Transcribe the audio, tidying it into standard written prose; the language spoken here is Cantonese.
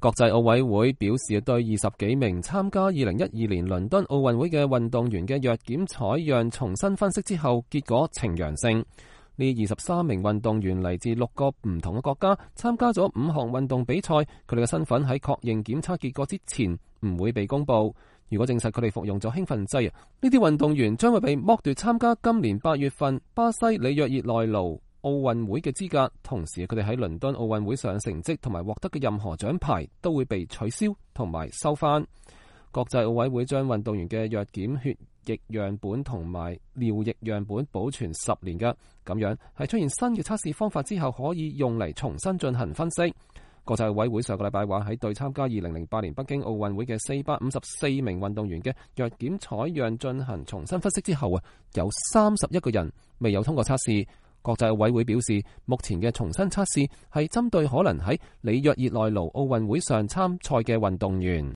國際奧委會表示，對20幾名參加2012年倫敦奧運會嘅運動員嘅藥檢採樣重新分析之後，結果呈陽性。呢23名運動員嚟自6個唔同嘅國家，參加咗5項運動比賽。佢哋嘅身份喺確認檢測結果之前唔會被公佈。如果證實佢哋服用咗興奮劑，呢啲運動員將會被剝奪參加今年8月份巴西里約熱內盧奧運會嘅資格，同時佢哋喺倫敦奧運會上成績同埋獲得嘅任何獎牌都會被取消同埋收返。國際奧委會將運動員嘅藥檢血液樣本同埋尿液樣本保存10年嘅，咁樣係出現新嘅測試方法之後可以用嚟重新進行分析。國際奧委會上個禮拜話喺對參加2008年北京奧運會嘅454名運動員嘅藥檢採樣進行重新分析之後有31個人未有通過測試。國際奧委會表示，目前嘅重新測試係針對可能喺里約熱內盧奧運會上參賽嘅運動員。